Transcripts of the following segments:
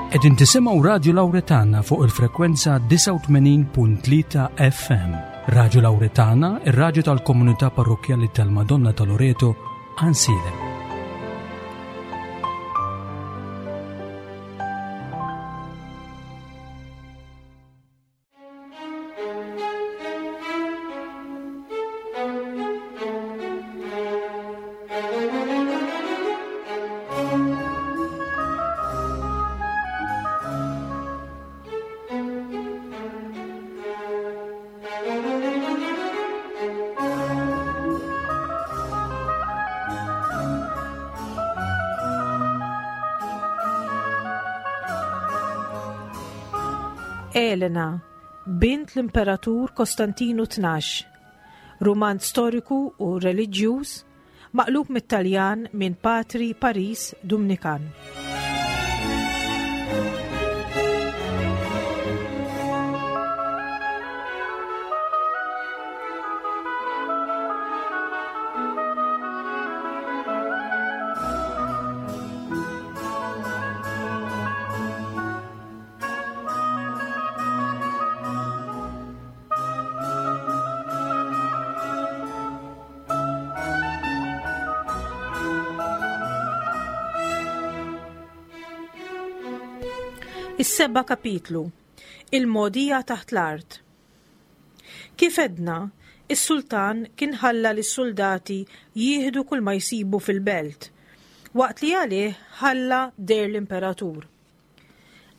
Qegħdin tisimgħu Radju Lawretana fuq il-frekwenza 89.3 FM. Radju Lawretana, ir-radju tal-komunità parrokkjali tal-Madonna ta' Loreto, Ansilem. Elena, bint l-Imperatur Kostantinu Tnax, rumanz storiku u reliġjuż maqlub mit-Taljan minn Patri Paris Dumnikan. Is-seba' kapitlu Il-mogħdija taħt l-art. Kif għedna, is-sultan kien ħalla lis-suldati jieħdu kull ma jsibu fil-belt, waqt li għalih ħalla der l-imperatur.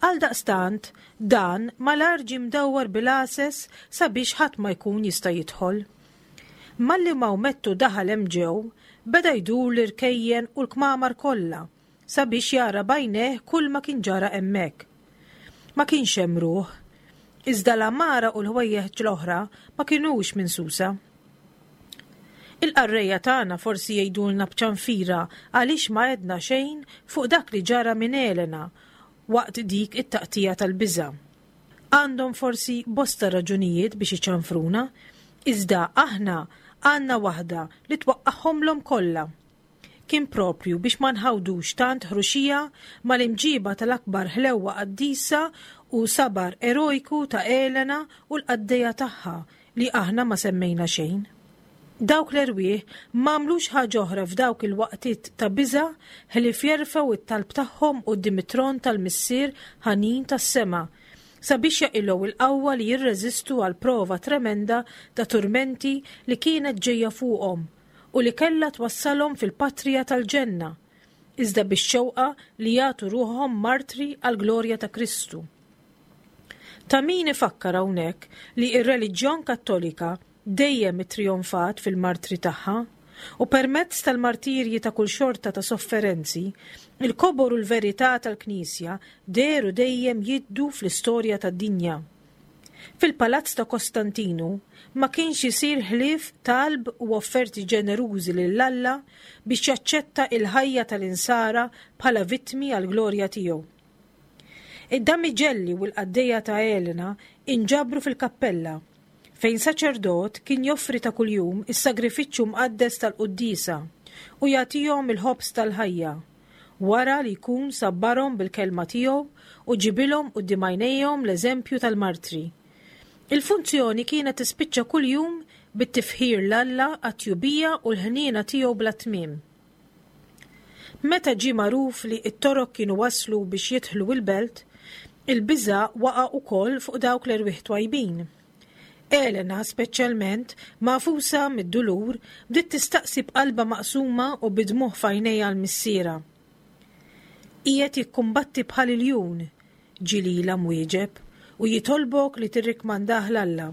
Għaldaqstant, dan malajr ġie mdawwar bil-għases sabiex ħadd ma jkun jista' jidħol. Malli Mawmettu daħal hemm ġew, beda jdur l-irkejjen u l-kmamar kollha sabiex jara b'għajnejh kulma kien ġara hemmhekk. Ma kienx hemm ruħ, iżda l-għamara u l-ħwejjeġ l-oħra ma kinux minsusa. Il-qarrejja tagħna forsi jgħidulna b'ċanfira għaliex ma għedna xejn fuq dak li ġara minn Elena waqt dik it-taqtigħa tal-biża'. Għandhom forsi bosta raġunijiet biex iċanfruna, iżda aħna għandna waħda li twaqqagħhomlhom kollha. Kien proprju biex ma nħawdux tant ħruxija mal-imġiba tal-akbar ħlewwa qaddisa u sabar erojku ta' Elena u l-qaddejja tagħha li aħna ma semmejna xejn. Dawk l-erwieħ m'għamlux ħaġa oħra f'dawk il-waqtiet ta' biża' ħlief jerfgħu t-talb tagħhom quddiem it-tron tal-Missier ħanin tas-sema sabiex jaqilgħu l-qawwa li jirreżistu għall-prova tremenda ta' turmenti li kienet ġejja fuqhom u li kellha twassalhom fil-patrija tal-ġenna, iżda bix-xewqa li jagħtu ruħhom martri għall-glorja ta' Kristu. Ta' min ifakkar hawnhekk li r-reliġjon Kattolika dejjem ittrijonfat fil-martri tagħha, u permezz tal-martirji ta' kull xorta ta' sofferenzi, il-kobor u l-verità tal-Knisja dehru dejjem jiddu fl-istorja tad-dinja. Fil-palazz ta' Kostantinu ma kienx isir ħlief talb u offerti ġenerużi lil Alla biex jaċċetta il-ħajja tal-insara bħala vittmi għall-glorja tiegħu. Id-damiġelli u l-qaddejja ta' Elena inġabru fil-kappella, fejn saċerdot kien joffri ta' kuljum is-sagrifiċċju mqaddes tal-quddiesa u jagħtihom il-ħobż tal-ħajja, wara li jkun sabbarhom bil-kelma tiegħu u ġibilhom quddiem għajnejhom l-eżempju tal-martri. Il-funzjoni kienet tispiċċa kuljum bit-tifħir 'l Alla għat-tjubija u l-ħniena tiegħu bla tmiem. Meta ġie magħruf li t-Torok kienu waslu biex jidħlu l-belt, il-biża' waqa' wkoll fuq dawk l-erwieħ twajbin. Elena, speċjalment, magħfusa mid-dulur, bdiet tistaqsi b'qalbha maqsuma u bid-dmugħ f'għajnejha 'l missierha. Qiegħed jikkumbatti bħal iljun, ġie lilha mwieġeb, u jitolbok li tirrikmandah 'l Alla.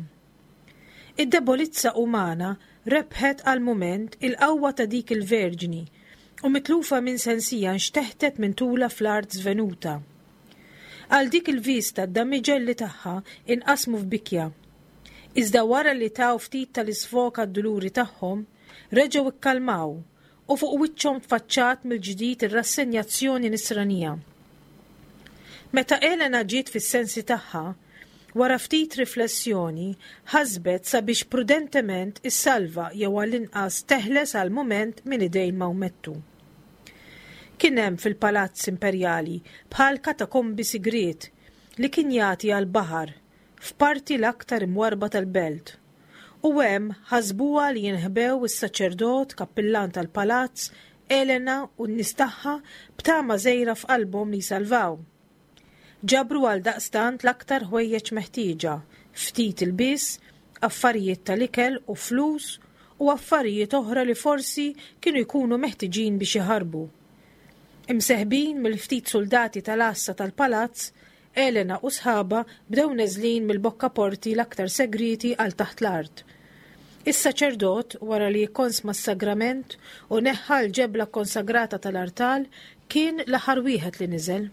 Id-debolizza umana rebħet għal mument il-qawwa ta' dik il-verġni u mitlufa minn sensija nxteħtet minn tulha fl-art żvenuta. Għal dik il-vista d-damiġelli tagħha inqasmu f'bikja. Iżda wara li taw ftit tal-isfog għad-duluri tagħhom, reġgħu kkalmaw u fuq wiċċhom tfaċċat mill-ġdid ir-rassenjazzjoni nisranija. Meta Elena ġiet fis-sensi tagħha, wara ftit riflessjoni, ħasbet sabiex prudentement issalva jew għall-inqas teħles għal mument minn idejn Mawmettu. Kien hemm fil-palazz imperjali bħal katakombi sigriet li kien jagħti għall-baħar f'parti l-aktar imwarrba tal-belt. U hemm ħasbuha li jinħbew is-saċerdot kappillan tal-palazz, Elena u n-nies tagħha b'tama żgħira f'qalbhom li jsalvaw. Ġabru għaldaqstant l-aktar ħwejjeġ meħtieġa, ftit ilbies, affarijiet tal-ikel u flus u affarijiet oħra li forsi kienu jkunu meħtiġin biex jaħarbu. Imseħbin mill-ftit suldati tal-għassa tal-palazz, Elena u sħabha bdew neżlin mill-bokkaporti l-aktar segrieti għal taħt l-art. Is-saċerdot, wara li kkonsma s-sagrament u neħħa l-ġebla kkonsagrata tal-artal, kien l-aħħar wieħed li niżel.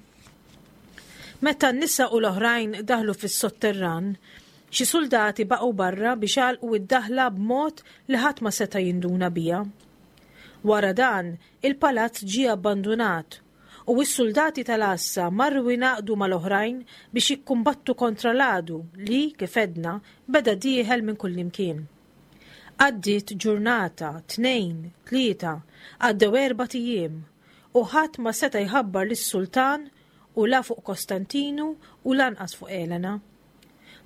Meta n-nisa u l-oħrajn daħlu fis-sotterran, xi suldati baqgħu barra biex għalqu d-daħla b'mod li ħadd ma seta' jinduna biha. Wara dan, il-palazz ġie abbandunat u s-suldati tal-għassa marru jingħaqdu mal-oħrajn biex jikkumbattu kontra l-għadu li, kif għedna, beda dieħel minn kullimkien. Għaddiet ġurnata, tnejn, tlieta, għaddew erbat ijiem, u ħadd ma seta' jħabbar lis-sultan u la fuq Kostantinu u lanqas fuq Elena.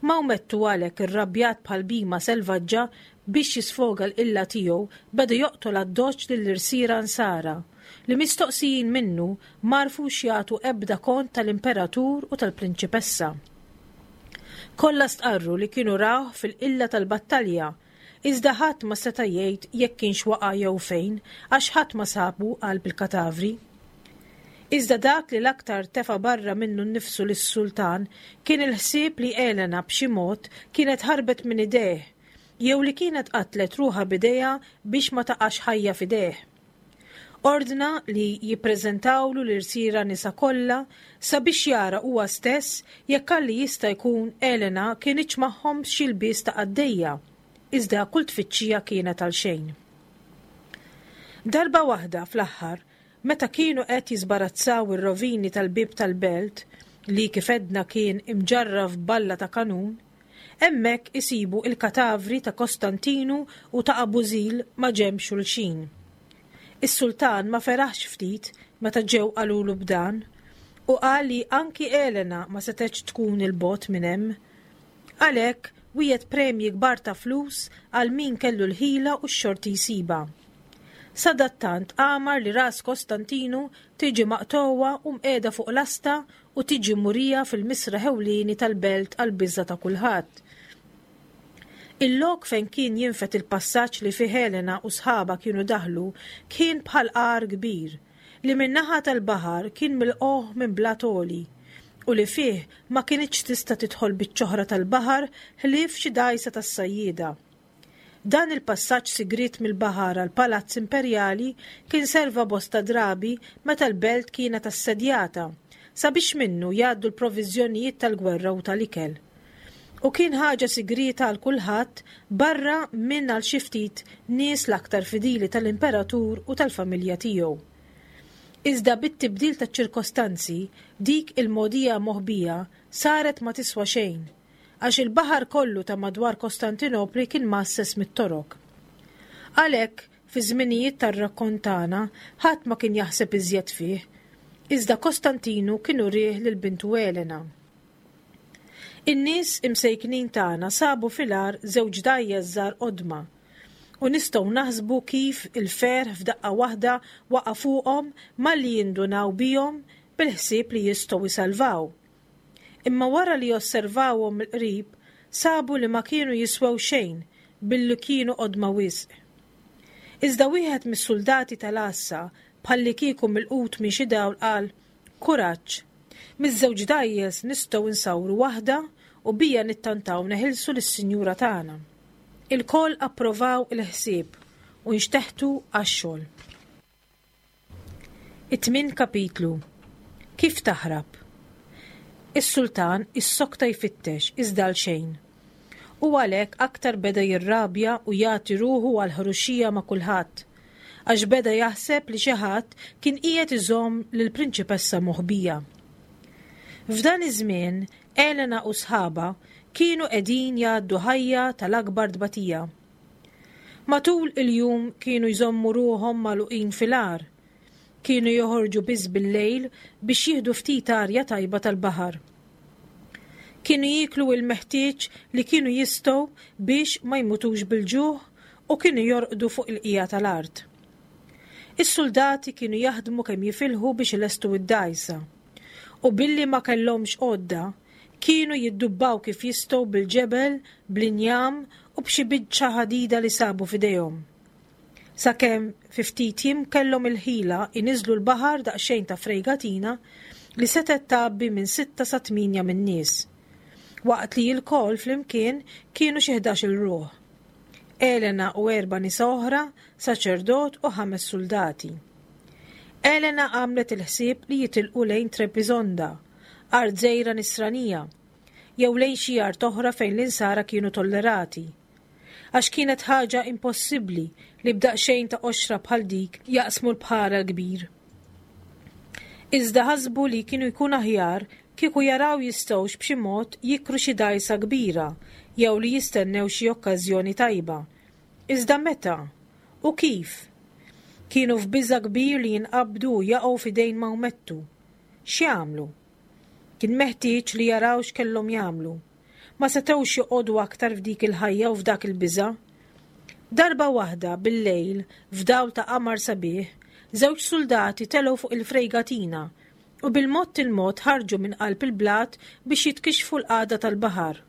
Mawmettu għalhekk irrabjat bħal bhima selvaġġa biex jisfoga l-qilla tiegħu beda joqtol addoċċ lill-irsiera Nsara, li mistoqsijin minnu m'għarfux jagħtu ebda kont tal-Imperatur u tal-Prinċipessa. Kollha stqarru li kienu rawh fil-qilla tal-battalja, iżda ħadd ma seta' jgħid jekk kienx waqa' jew fejn għax ħadd ma sabu qalb il-katavri. Iżda dak li l-aktar tefa' barra minnu nnifsu lis-sultan kien il-ħsieb li Elena b'xi mod kienet ħarbet minn idejh jew li kienet qatlet ruħha b'idejha biex ma taqax ħajja f'idejh. Ordna li jippreżentawlu l-irsiera nisa kollha sabiex jara huwa stess jekk għalli jista' jkun Elena kinitx magħhom b'xi lbies ta' qaddejja, iżda kull tfittxija kienet għalxejn. Darba waħda fl-aħħar Meta kienu qed jiżbarazzaw ir-rovini tal-bieb tal-belt, li kif għedna kien imġarraf b'balla ta' kanun, hemmhekk isibu il-katavri ta' Kostantinu u ta' Abużil maġenb xulxin. Is-sultan ma feraħx ftit meta ġew qalulu b'dan, u qal li anki Elena ma setgħetx tkun 'il bogħod minn hemm. Għalhekk wiegħed premji kbar ta' flus għal min kellu l-ħila u x-xorti jsibha. Sadattant amar li ras Kostantinu tiġi maqtugħa u mqiegħda fuq lasta u tiġi murija fil-misraħ ewlieni tal-belt għall-biża' ta' kulħadd. Il-lok fejn kien jinfed il-passaġġ li fih Elena u sħabha kienu daħlu kien bħal għar kbir, li min-naħa tal-baħar kien milqugħ minn blat għoli, u li fih ma kinitx tista' tidħol biċċ'oħra tal-baħar ħlief xi dgħajsa tas-sajjieda. Dan il-passaġġ sigriet mill-baħar għall-Palazz Imperjali kien serva bosta drabi meta l-belt kienet assedjata, sabiex minnu jgħaddu l-proviżjonijiet tal-gwerra u tal-ikel. U kien ħaġa sigrieta għal kulħadd barra minn għal xi ftit nies l-aktar fidili tal-Imperatur u tal-familja tiegħu. Iżda bit-tibdil taċ-ċirkostanzi, dik il-mogħdija moħbija saret ma tiswa xejn, għax il-baħar kollu ta' madwar Kostantinopli kien mgħasses mit-Torok. Għalhekk, fiż-żminijiet tar-rakkont tagħna, ħadd ma kien jaħseb iżjed fih, iżda Kostantinu kien urieh lil bintu Elena. In-nies imsejknin tagħna sabu fil-għar żewġ dgħajjes żgħar qodma, u nistgħu naħsbu kif il-ferħ f'daqqa waħda waqa' fuqhom malli jindunaw bihom bil-ħsieb li jistgħu jsalvaw. Imma wara li osservawhom mill-qrib, sabu li ma kienu jiswew xejn billi kienu qodma wisq. Iżda wieħed mis-suldati tal-għassa, bħallikieku milqut minn xi dawl qal, Kuraġġ! Miż-żewġ dgħajjes nistgħu nsawru waħda u bija nittantaw neħilsu lis-sinjura tagħna. Ilkoll approvaw il-ħsieb u nxteħtu għax-xogħol. It-tmien kapitlu Kif taħrab? Is-sultan issokta jfittex iżda għal xejn. U għalhekk aktar beda jirrabja u jagħti ruħu għall-ħruxija ma' kulħadd, għax beda jaħseb li xi ħadd kien qiegħed iżomm lill-prinċipessa moħbija. F'dan iż-żmien Elena u sħabha kienu qegħdin jgħaddu ħajja tal-akbar tbatija. Matul il-jum kienu jżommu ruħhom magħluqin fil-għar. Kienu joħorġu biss bil-lejl biex jieħdu ftit arja tajba tal-baħar. Kienu jieklu il-meħtieġ li kienu jistgħu biex ma jmutux bil-ġuħ u kienu jorqdu fuq il-qiegħa tal-art. Is-suldati kienu jaħdmu kemm jifilħu biex ilestu d-dgħajsa. U billi ma kellhomx għodda, kienu jiddubbaw kif jistgħu bil-ġebel, bl-injam u b'xi biċċa ħadida li sabu f'idejhom. Sakemm fi ftit jiem kellhom il-ħila jniżżlu l-baħar daqsxejn ta' frejgatina li setgħet tgħabbi minn sitta sa tmienja min-nies, waqt li lkoll flimkien kienu xi 11-il ruħ. Elena u erba' nisa oħra, saċerdot u ħames suldati. Elena għamlet il-ħsieb li jitilqu lejn Trebisonda, art żgħira Nisranija, jew lejn xi art oħra fejn l-Insara kienu tollerati. Għax kienet ħaġa impossibbli li b'daqsxejn ta' qoxra bħal dik jaqsmu l-bħar l-kbir. Iżda ħasbu li kienu jkun aħjar kieku jaraw jistgħux b'xi mod jikru xi dgħajsa kbira jew li jistennew xi okkażjoni tajba. Iżda meta? U kif? Kienu f'biża' kbir li jinqabdu u jaqgħu f'idejn Mawmettu. X'jagħmlu? Kien meħtieġ li jaraw x'kellhom jagħmlu. Ma setgħux joqogħdu aktar f'dik il-ħajja u f'dak il-biża'. Darba waħda, bil-lejl, f'dawl ta' qamar sabiħ, żewġ suldati telgħu fuq il-frejgatina u bil-mod il-mod ħarġu minn qalb il-blat biex jitkixxfu l-qagħda tal-baħar.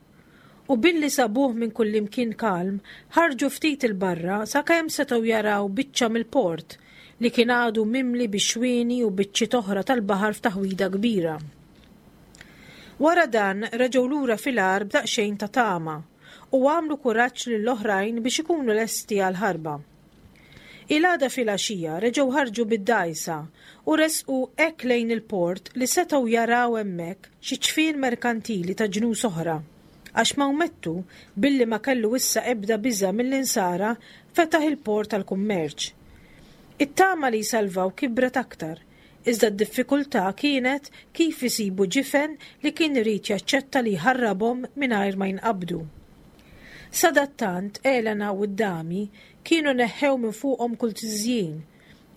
U billi sabuh minn kullimkien kalm, ħarġu ftit 'il barra sakemm setgħu jaraw biċċa mill-port li kien għadu mimli bix-xwieni u biċċiet oħra tal-baħar f'taħwida kbira. Wara dan reġgħu lura fil-għar b'daqsxejn ta' tama u għamlu kuraġġ lill-oħrajn biex ikunu lesti għall-ħarba. Il-għada filgħaxija reġgħu ħarġu bid-dgħajsa u resqu hekk lejn il-port li setgħu jaraw hemmhekk xi ċfien merkantili ta' ġnus oħra, għax Mawmettu, billi ma kellu issa ebda biża' mill-Insara, fetaħ il-port għall-kummerċ. It-tama li jsalvaw kibret aktar, Iżda d-diffikultà kienet kif isibu ġifen li kien irid jaċċetta li jħarrabhom mingħajr ma jinqabdu. Sadattant Elena u d-dami kienu neħħew minn fuqhom kull tiżjin,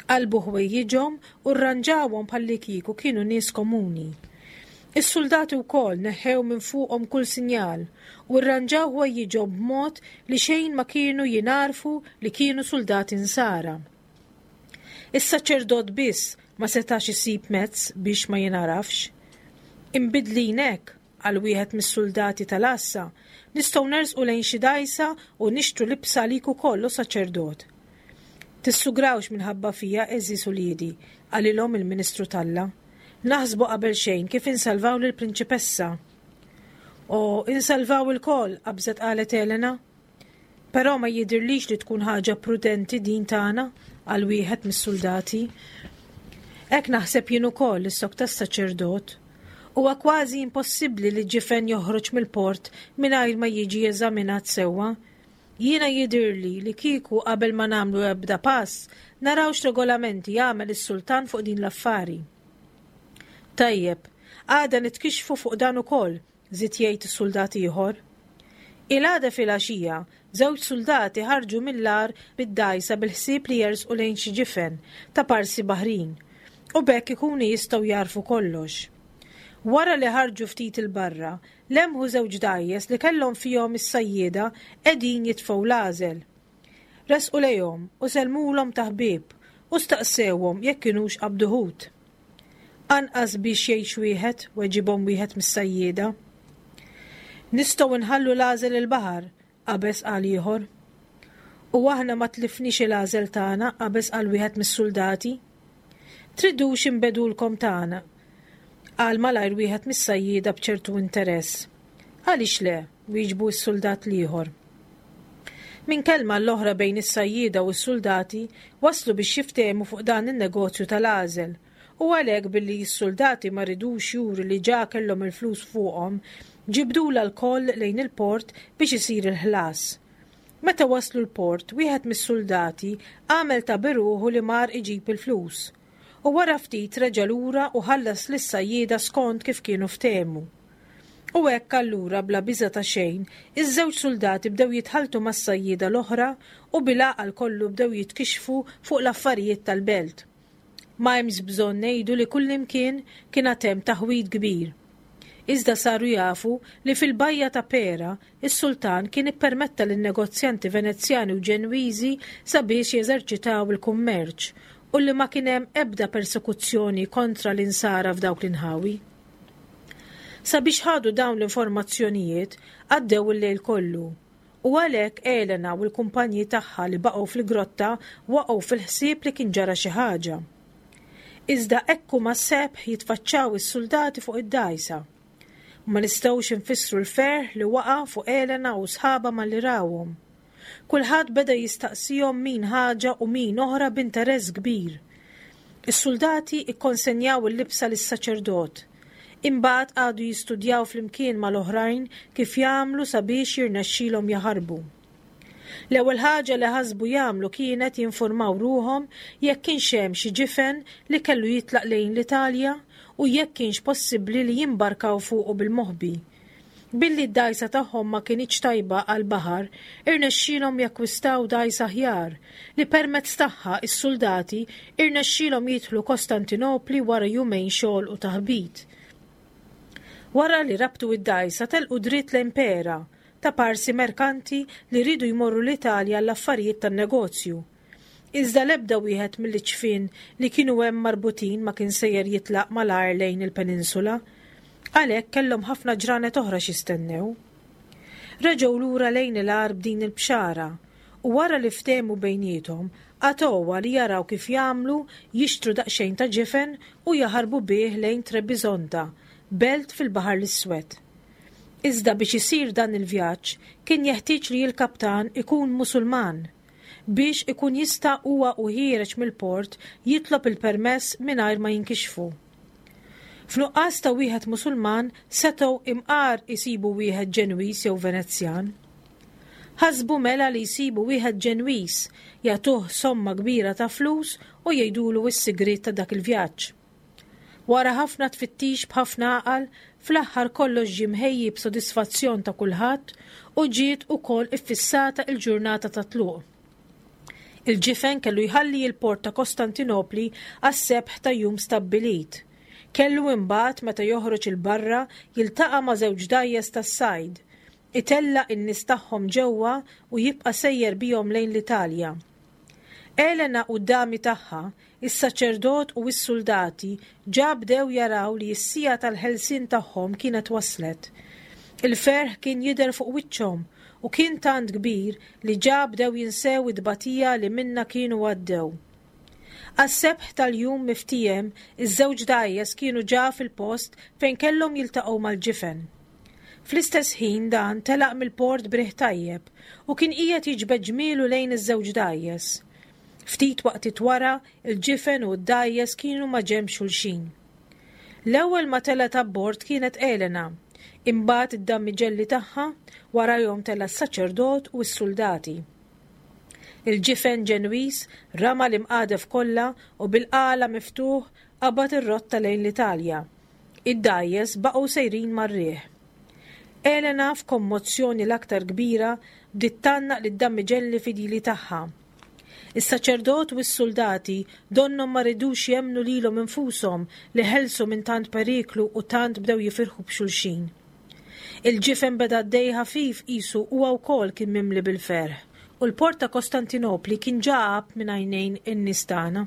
qalbu ħwejjiġhom u rranġawhom bħallikieku kienu nies komuni. Is-suldati wkoll neħħew minn fuqhom kull sinjal u rranġaw ħwejjiġhom b'mod li xejn ma kienu jingħarfu li kienu suldati Nsara. Is-saċerdot biss ma setax isib mezz biex ma jingħarafx. Imbiddlin hekk, qal wieħed mis-suldati tal-għassa, nistgħu nersqu lejn xi dgħajsa u nixtru libsa għalik ukoll, o saċerdot. Tissugrawx minħabba fija, għeżież uliedi, qalilhom il-ministru t'Alla. Naħsbu qabelxejn kif insalvaw lill-prinċipessa. O, insalvaw ilkoll, qabżet qalet Elena. Però ma jidhirlix li tkun ħaġa prudenti din tagħna, qal wieħed mis-suldati. Hekk naħseb jien ukoll, issokta s-saċerdot. Huwa kważi impossibbli li ġifen joħroġ mill-port mingħajr ma jiġi eżaminat sewwa. Jiena jidhirli li kieku qabel ma nagħmlu ebda pass, naraw x'regolamenti jagħmel is-sultan fuq din l-affari. Tajjeb, għada nitkixxfu fuq dan ukoll, żied jgħid suldat ieħor. Il-għada filgħaxija, żewġ suldati ħarġu mill-għar bid-dgħajsa bil-ħsieb li jersqu lejn xi ġifen ta' parsi baħrin u b'hekk ikunu jistgħu jagħrfu kollox. Wara li ħarġu ftit 'il barra, lemħu żewġ dgħajjes li kellhom fihom is-sajjieda qegħdin jitfgħu l-għażel. Resqu lejhom u sellmulhom ta' ħbieb u staqsewhom jekk kinux qabdu ħut. Anqas biex jgħix wieħed, weġibhom wieħed mis-sajjieda. Nistgħu nħallu l-għażel il-baħar, qabeż qal ieħor. U aħna ma tlifniex il-għażel tagħna, qabeż qal wieħed mis-suldati. Tridux inbegħdulkom tagħna? qal malajr wieħed mis-sajjieda b'ċertu interess. Għaliex le? wieġbu s-suldat l-ieħor. Minn kelma għall-oħra bejn is-sajjieda u s-suldati waslu biex jiftehmu fuq dan in-negozju tal-għażel u għalhekk billi s-suldati ma ridux juru li ġa kellhom il-flus fuqhom, ġibdulha lkoll lejn il-port biex isir il-ħlas. Meta waslu l-port, wieħed mis-suldati għamel ta' biruħu li mar iġib il-flus u wara ftit reġa' lura u ħallas lis-sajjieda skont kif kienu ftehmu. U hekk allura bla biża' ta' xejn, iż-żewġ suldati bdew jitħalltu mas-sajjieda l-oħra u bil-għaqal kollu bdew jitkixxfu fuq l-affarijiet tal-belt. Ma hemmx bżonn ngħidu li kullimkien kien għad hemm taħwid kbir. Iżda saru jafu li fil-bajja ta' Pera, is-sultan kien ippermetta lin-negozjanti Venezjani u Ġenwiżi sabiex jeżerċitaw il-kummerċ u li ma kien hemm ebda persekuzzjoni kontra l-Insara f'dawk l-inħawi. Sabiex ħadu dawn l-informazzjonijiet, għaddew il-lejl kollu. U għalhekk Elena u l-kumpanji tagħha li baqgħu fil-grotta waqgħu fil-ħsieb li kien ġara xi ħaġa. Iżda hekk huma sebħ jitfaċċaw is-suldati fuq id-dgħajsa. Ma nistgħux infissru l-ferħ li waqa' fuq Elena u sħabha malli rawhom. Kulħadd beda jistaqsihom min ħaġa u min oħra b'interess kbir. Is-suldati kkonsenjaw il-libsa lis-saċerdot. Imbagħad qagħdu jistudjaw flimkien mal-oħrajn kif jagħmlu sabiex jirnexxilhom jaħarbu. L-ewwel ħaġa li ħasbu jagħmlu kienet jinfurmaw ruħhom jekk kienx hemm xi ġifen li kellu jitlaq lejn l-Italja u jekk kienx possibbli li jimbarkaw fuqu bil-moħbi. Billi d-dgħajsa tagħhom ma kinitx tajba għall-baħar, irnexxielhom jakkwistaw dgħajsa aħjar, li permezz tagħha s-suldati rnexxielhom jidħlu Kostantinopli wara jumejn xogħol u taħbit. Wara li rabtu d-dgħajsa telqu dritt lejn Pera, ta' parsi merkanti li riedu jmorru l-Italja għall-affarijiet tan-negozju. Iżda l-ebda wieħed mill-iċfien li kienu hemm marbutin ma kien sejjer jitlaq malajr lejn il-peninsula. Għalhekk kellhom ħafna ġranet oħra x'jistennew. Reġgħu lura lejn il-għar b'din il-bxara, u wara li ftehmu bejniethom, qatgħuha li jaraw kif jagħmlu jixtru daqsxejn ta' ġifen u jaħarbu bih lejn Trebisonda, belt fil-Baħar l-Iswed. Iżda biex isir dan il-vjaġġ kien jeħtieġ li l-kaptan ikun Musulman. biex ikun jista' huwa u ħiereġ mill-port jitlob il-permess mingħajr ma jinkixfu. F'nuqqas ta' wieħed Musulman setgħu imqar isibu wieħed Ġenwiż jew Venezjan. Ħasbu mela li jsibu wieħed Ġenwiż, jagħtuh somma kbira ta' flus u jgħidulu s-sigriet ta' dak il-vjaġġ. Wara ħafna tfittix b'ħafna għaqal, fl-aħħar kollox ġie mħejji b'sodisfazzjon ta' kulħadd u ġiet ukoll iffissata il-ġurnata ta' tluq. Il-ġifen kellu jħalli l-port ta' Kostantinopli għas-sebħ ta' jum stabbilit. Kellu imbagħad meta joħroġ 'il barra jiltaqa' ma' żewġ dgħajjes tas-sajd, itellaq in-nies tagħhom ġewwa u jibqa' sejjer bihom lejn l-Italja. Elena u d-dami tagħha, is-saċerdot u s-suldati ġa bdew jaraw li s-siegħa tal-ħelsien tagħhom kienet waslet. Il-ferħ kien jidher fuq wiċċhom u kien tant kbir li ġa bdew jinsew it-tbatija li minnha kienu għaddew. Għas-sebħ tal-jum miftiehem, iż-żewġ dgħajjes kienu ġa fil-post fejn kellhom jiltaqgħu mal-ġifen. Fl-istess ħin dan telaq mill-port b'riħ tajjeb u kien qiegħed jiġbed ġmielu lejn iż-żewġ dgħajjes. Ftit waqtiet wara, il-ġifen u d-dgħajjes kienu ma' ġenb xulxin. L-ewwel ma telgħet abbord kienet Elena, imbagħad id-dammiġelli tagħha, warajhom tela' s-saċerdot u s-suldati. Il-ġifen Ġenwiż rama l-imqadef kollha u bil-qala miftuħ qabad ir-rotta lejn l-Italja. Id-dgħajjes baqgħu sejrin mar-riħ. Elena, f'kommozzjoni l-aktar kbira, bdiet tgħannaq lid-dammiġelli fidili tagħha. Is-saċerdot u s-suldati donnhom ma ridux jemmnu lilhom infushom li ħelsu minn tant periklu u tant bdew jifirħu b'xulxin. Il-ġifen beda għaddej ħafif qisu huwa wkoll kien mimli bil-ferħ, u l-port ta' Kostantinopli kien ġa għab minn għajnejn in-nies tagħna.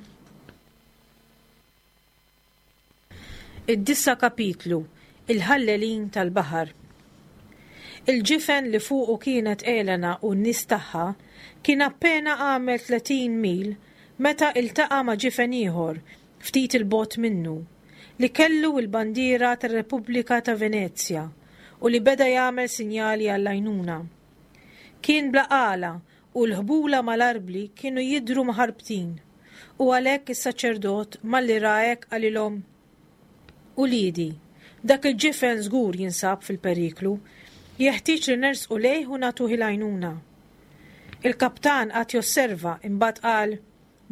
Id-disa' kapitlu, Il-ħallelin tal-baħar. Il-ġifen li fuqu kienet Elena u n-nies tagħha kien appena għamel 30 mil meta iltaqa' ma' ġifen ieħor ftit 'il bogħod minnu, li kellu l-bandiera tar-Repubblika ta' Venezja u li beda jagħmel sinjali għall-għajnuna. Kien bla qala u l-ħbula mal-arbli kienu jidhru mħarbtin, u għalhekk is-saċerdot malli ra hekk qalilhom, Uliedi, dak il-ġifen żgur jinsab fil-periklu, jeħtieġ li nersqu lejh u nagħtuh il-għajnuna. Il-kaptan qagħad josserva imbagħad qal,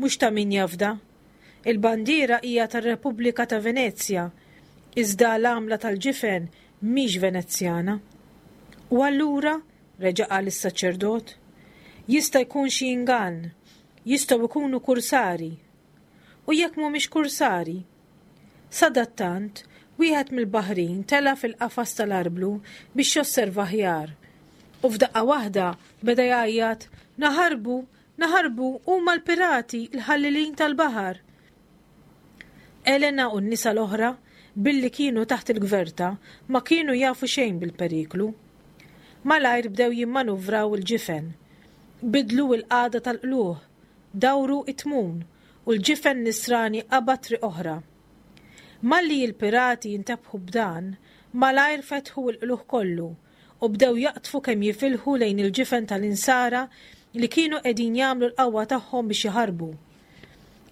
Mhux ta' min jafda. Il-bandiera hija tar-Repubblika ta' Venezja, iżda l-għamla tal-ġifen mhix Venezjana. U allura? reġa' qal is-saċerdot. Jista' jkun xi ingann. Jistgħu jkunu kursari. U jekk mhumiex kursari? Sadattant, wieħed mill-baħrin tela' fil-qafas tal-arblu biex josserva aħjar. U f'daqqa waħda beda jgħajjat, Naħarbu! Naħarbu! Huma l-pirati, il-ħallelin tal-baħar! Elena u n-nisa l-oħra, billi kienu taħt il-gverta, ma kienu jafu xejn bil-periklu. Malajr bdew jimmanuvraw il-ġifen. Bidlu l-qagħda tal-qlugħ, dawru t-tmun, u l-ġifen nisrani qabad triq oħra. Malli l-pirati intebħu b'dan, malajr fetħu l-qlugħ kollu u bdew jaqdfu kemm jifilħu lejn il-ġifen tal-Insara li kienu qegħdin jagħmlu l-qawwa tagħhom biex jaħarbu.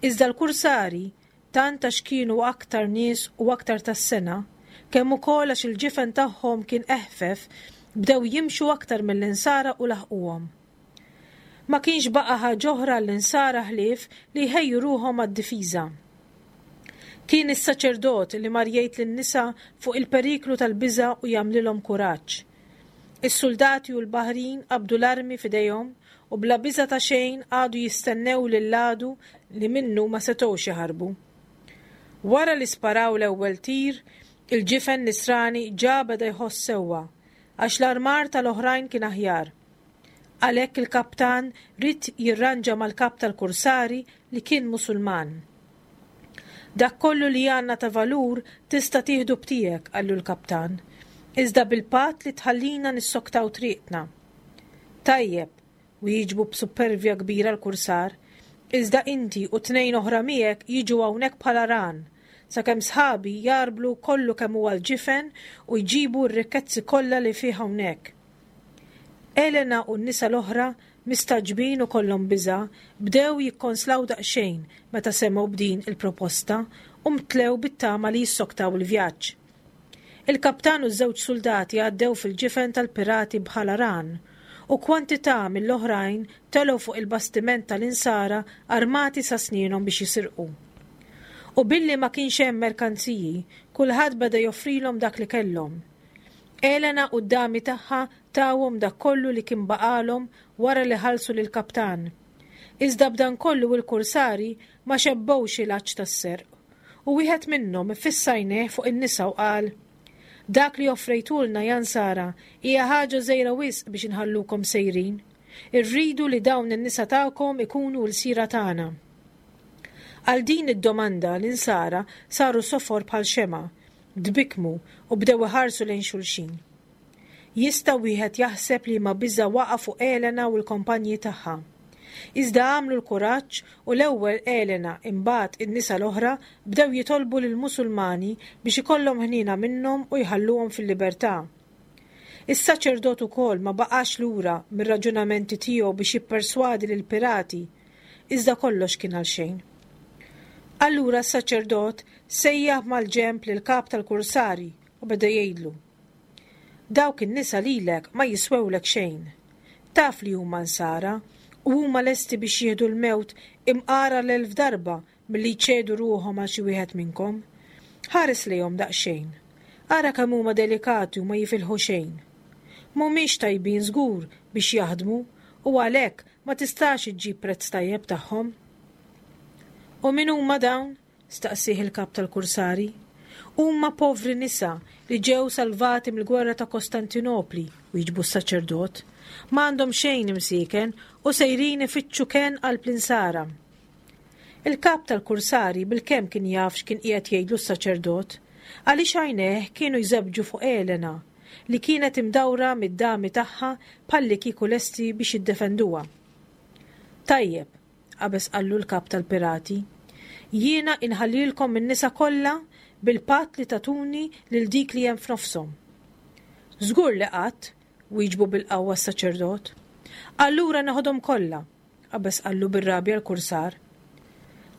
Iżda l-kursari, tant għax kienu aktar nies u aktar tas-sengħa, kemm ukoll għax il-ġifen tagħhom kien eħfef, bdew jimxu aktar mill-Insara u laħquhom. Ma kienx baqa' ħaġa oħra għall-Insara ħlief li jħejju ruħhom għad-difiża. Kien is-saċerdot li mar jgħid lin-nisa fuq il-periklu tal-biża' u jagħmlilhom kuraġġ. Is-suldati u l-baħrin qabdu l-armi f'idejhom u bla biża' ta' xejn qagħdu jistennew lill-għadu li minnu ma setgħux jaħarbu. Wara li sparaw l-ewwel tir, il-ġifen Nisrani ġa beda jħoss sewwa, għax l-armar tal-oħrajn kien aħjar. Għalhekk il-kaptan ried jirranġa mal-kap tal-kursari li kien Musulman. Dak kollu li għandna ta' valur tista' tieħdu b'tiegħek, qallu l-kaptan, iżda bil-patt li tħallina nissoktaw triqtna. Tajjeb, wieġbu b'suppervja kbira l-kursar, iżda inti u tnejn oħra miegħek jiġu hawnhekk bħala ran, sakemm sħabi jgħarblu kollu kemm huwa l-ġifen u jġibu r-rikkezzi kollha li fih hawnhekk. Elena u n-nisa l-oħra, mistagħġbin u kollhom biża', bdew jikkonslaw daqsxejn meta semgħu b'din il-proposta u mtlew bit-tama li jissoktaw il-vjaġġ. Il-kaptan u ż-żewġ suldati għaddew fil-ġifen tal-pirati bħala ran, u kwantità mill-oħrajn telgħu fuq il-bastiment tal-Insara armati sa snienhom biex jisirqu. U billi ma kienx hemm merkanziji, kulħadd beda joffrilhom dak li kellhom. Elena u d-dami tagħha tawhom dak kollu li kien baqgħalhom wara li ħallsu lill-kaptan. Iżda b'dan kollu il-kursari ma xebbgħux il-għatx tas-serq, u wieħed minnhom iffissa għajnejh fuq in-nisa u qal, Dak li offrejtulna, ja Nsara, hija ħaġa żgħira wisq biex inħallukom sejrin. Irridu li dawn in-nisa tagħkom ikunu lsira tagħna. Għal din id-domanda l-Insara saru sofor bħal xemgħa, Tbikkmu u bdew iħarsu lejn xulxin. Jista' wieħed jaħseb liema biża' waqa' fuq Elena u l-kompanji tagħha. Iżda għamlu l-kuraġġ u l-ewwel Elena imbagħad in-nisa l-oħra bdew jitolbu lill-Musulmani biex ikollhom ħniena minnhom u jħalluhom fil-libertà. Is-saċerdot ukoll ma baqax lura mir-raġunamenti tiegħu biex jipperswadi lill-pirati Iżda kollox kien għalxejn. Allura s-saċerdot sejjaħ mal-ġenb lill-kap tal-kursari u beda jgħidlu, Dawk in-nisa lilek ma jiswewlek xejn. Taf li huma Nsara u huma lesti biex jieħdu l-mewt imqar għal elf darba milli jċedu ruħhom għal xi wieħed minnkom. Ħares lejhom daqsxejn. Ara kemm huma delikati u ma jifilħu xejn. Mhumiex tajbin żgur biex jaħdmu u għalhekk ma tistax iġġib prezz tajjeb tagħhom. U min huma dawn? staqsieh il-kap tal-kursari. Huma povri nisa li ġew salvati mill-gwerra ta' Kostantinopli, wieġbu s-saċerdot. Ma għandhom xejn imsieken u sejrin ifittxu kenn qalb l-insara. Il-kap tal-kursari bilkemm kien jaf x'kien qiegħed jgħidlu s-saċerdot, għaliex għajnejh kienu jżebbġu fuq Elena, li kienet imdawra mid-dami tagħha bħallikieku lesti biex jiddefenduha. Tajjeb, qabeż qallu l-kap tal-pirati, jiena inħallilkom in-nisa kollha bil-patt li tagħtuni lil dik li hemm f'nofshom. Żgur li qatt, wieġbu bil-qawwa s-saċerdot. Allura neħodhom kollha, qabeż qallu bir-rabja l-kursar.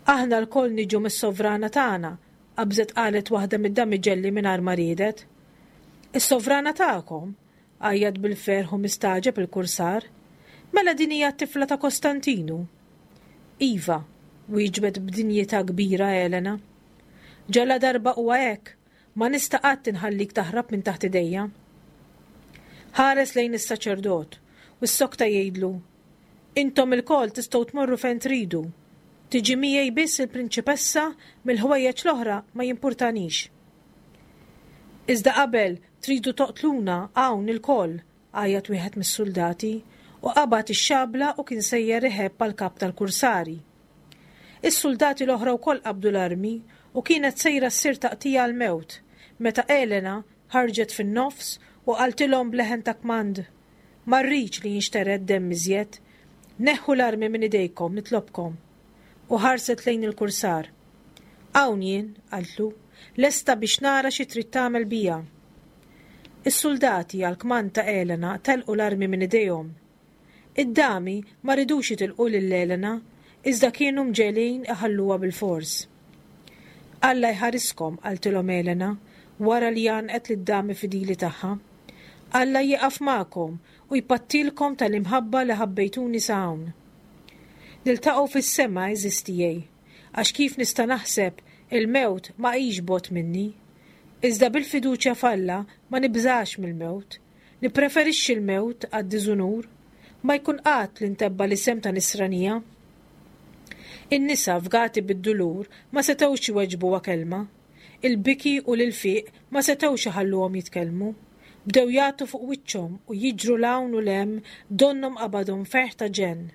Aħna lkoll niġu mis-sovrana tagħna, qabżet qalet waħda mid-damiġelli mingħajr ma riedet. Is-sovrana tagħkom? għajjat bil-ferħ u mistagħġeb il-kursar. Mela din hija t-tifla ta' Kostantinu? Iva, wieġbet b'dinjità kbira Elena. Ġaladarba huwa hekk, ma nista' qatt inħallik taħrab minn taħt idejja. Ħares lejn is-saċerdot u ssokta jgħidlu, Intom ilkoll tistgħu tmorru fejn tridu. Tiġi miegħi biss il-prinċipessa mill-ħwejjeġ l-oħra ma jimpurtanix. Iżda qabel tridu toqtluna hawn ilkoll, għajjat wieħed mis-suldati u qabad ix-xabla u kien sejjer iħebb għall-kap tal-kursari. Is-suldati l-oħra wkoll qabdu l-armi u kienet sejra ssir taqtigħa għall-mewt meta Elena ħarġet fin-nofs u qaltilhom b'leħen ta' kmand, Ma rridx li jinxtered demm iżjed. Neħħu l-armi minn idejkom, nitlobkom. U ħarset lejn il-kursar. Hawn jien, qaltlu, lesta biex nara xi trid tagħmel bija. Is-suldati, għall-kmand ta' Elena, telqu l-armi minn idejhom. Id-dami ma ridux jitilqu lil Elena, iżda kienu mġegħlin iħalluha bilfors. Alla jħariskom, qaltilhom Elena, wara li għannqet lid-dami fidili tagħha. Alla jieqaf magħkom u jpattilkom tal-imħabba li ħabbejtuni sa hawn. Niltaqgħu fis-sema, għeżież tiegħi, għax kif nista' naħseb, il-mewt ma hix bogħod minni. Iżda bil-fiduċja f'Alla ma nibżax mill-mewt. Nippreferixxi l-mewt għad-diżunur. Ma jkun qatt li ntebba' l-isem ta' Nisranija. In-nisa, fgati bid-dulur, ma setgħux iweġbuha kelma. Il-biki u l-ilfiq ma setgħux iħalluhom jitkellmu. Bdew jagħtu fuq wiċċhom u jiġru 'l hawn u 'l hemm donnhom qabadhom ferħ ta' ġenn.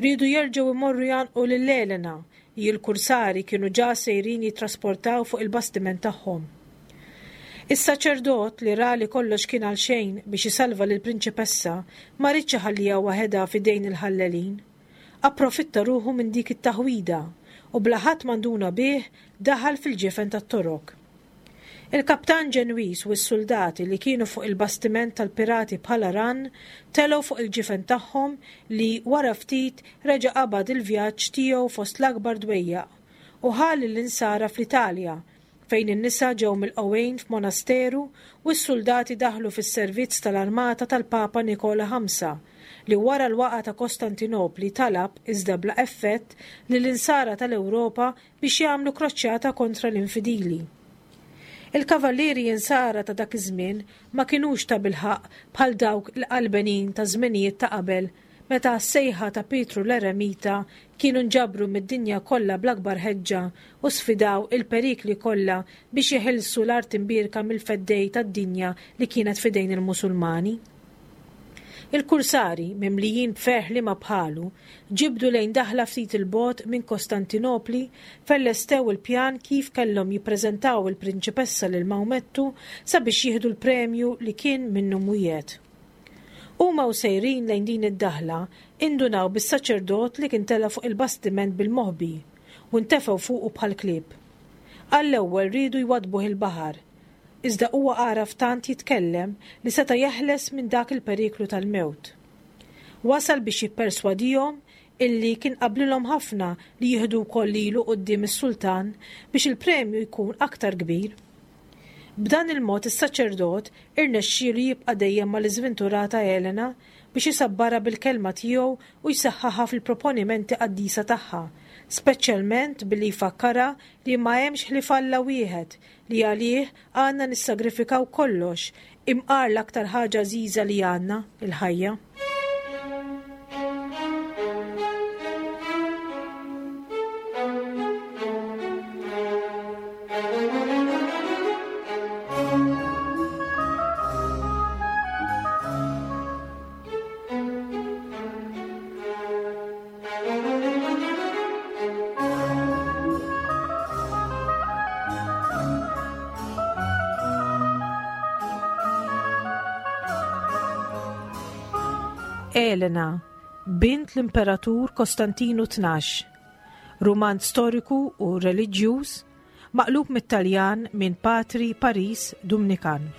Riedu jerġgħu jmorru jgħannqu lil Elena li l-kursari kienu ġa sejrin jittrasportaw fuq il-bastiment tagħhom. Is-saċerdot, li ra li kollox kien għalxejn biex isalva lill-prinċipessa, ma riedx iħalliha waħedha f'idejn il-ħallelin. Approfitta ruħu minn dik it-taħwida u bla ħadd ma nduna bih daħal fil-ġifen tat-Torok. Il-kaptan Ġenwiż u s-suldati li kienu fuq il-bastiment tal-pirati bħala rann telgħu fuq il-ġifen tagħhom li, wara ftit, reġa' qabad il-vjaġġ tiegħu fost l-akbar dwejjaq u ħa lill-Insara fl-Italja fejn in-nisa ġew milqugħin f'monasteru u s-suldati daħlu fis-servizz tal-armata tal-Papa Nikola Ħamsa li wara l-waqgħa ta' Kostantinopli talab, iżda bla effett, lill-Insara tal-Ewropa biex jagħmlu kroċjata kontra l-infidili. Il-kavallieri Insara ta' dak iż-żmien ma kinux tabilħaqq bħal dawk il-qalbenin taż-żmenijiet ta' qabel meta għas-sejħa ta' Pietru l-Eremita kienu nġabru mid-dinja kollha bl-akbar ħeġġa u sfidaw il-perikli kollha biex jeħilsu l-art imbierka mill-feddej tad-dinja li kienet f'idejn il-Musulmani. Il-kursari, mimlijin b'ferħ liema bħalu, ġibdu lejn daħla ftit 'il bogħod minn Kostantinopli fejn lestew il-pjan kif kellhom jippreżentaw il-prinċipessa lil Mawmettu sabiex jieħdu l-premju li kien minnu mwiegħed. Huma u sejrin lejn din id-daħla, indunaw bis-saċerdot li kien tela' fuq il-bastiment bil-moħbi u ntefgħu fuqu bħall-klieb. Għall-ewwel riedu jwaddbuh il-baħar, Iżda huwa għaraf tant jitkellem li seta' jeħles minn dak il-periklu tal-mewt. Wasal biex jipperswadihom illi kien qablilhom ħafna li jieħdu wkoll lilu quddiem is-sultan biex il-premju jkun aktar kbir. B'dan il-mod is-saċerdot irnexxielu jibqa' dejjem mal-iżventurata Elena biex isabbarha bil-kelma tiegħu u jsaħħaħha fil-proponimenti qaddisa tagħha, speċjalment billi jfakkarha li ma hemmx ħlief Alla wieħed li għalih għandna nissagrifikaw kollox, imqar l-aktar ħaġa għażiża li għandna, il-ħajja. Elena, bint l-Imperatur Kostantinu 12, rumanz storiku u reliġjuż maqlub mit-Taljan minn Patri Paris Dumnikan.